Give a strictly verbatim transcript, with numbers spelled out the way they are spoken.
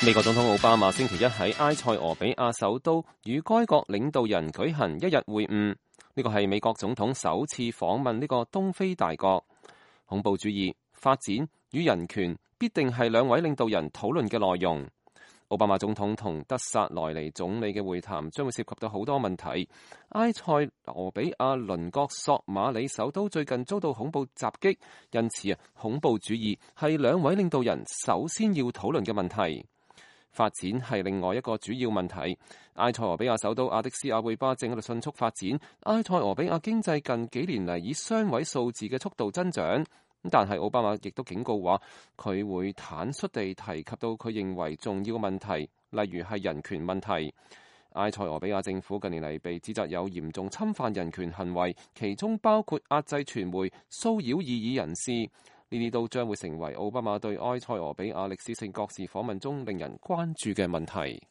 美國總統奧巴馬星期一喺埃塞俄比亞首都與該國領導人舉行一日會晤，呢個係美國總統首次訪問呢個東非大國。恐怖主義、發展與人權必定係兩位領導人討論嘅內容。奧巴馬總統同德薩萊尼總理嘅會談將會涉及到好多問題。埃塞俄比亞鄰國索馬里首都最近遭到恐怖襲擊，因此啊，恐怖主義係兩位領導人首先要討論嘅問題。發展係另外一個主要問題。埃塞俄比亞首都阿迪斯亞貝巴正喺度迅速發展，埃塞俄比亞經濟近幾年嚟以雙位數字嘅速度增長。但係奧巴馬亦都警告話，佢會坦率地提及到佢認為重要嘅問題，例如係人權問題。埃塞俄比亞政府近年嚟被指責有嚴重侵犯人權行為，其中包括壓制傳媒、騷擾異議人士。呢啲都將會成為奧巴馬對埃塞俄比亞歷史性國事訪問中令人關注嘅問題。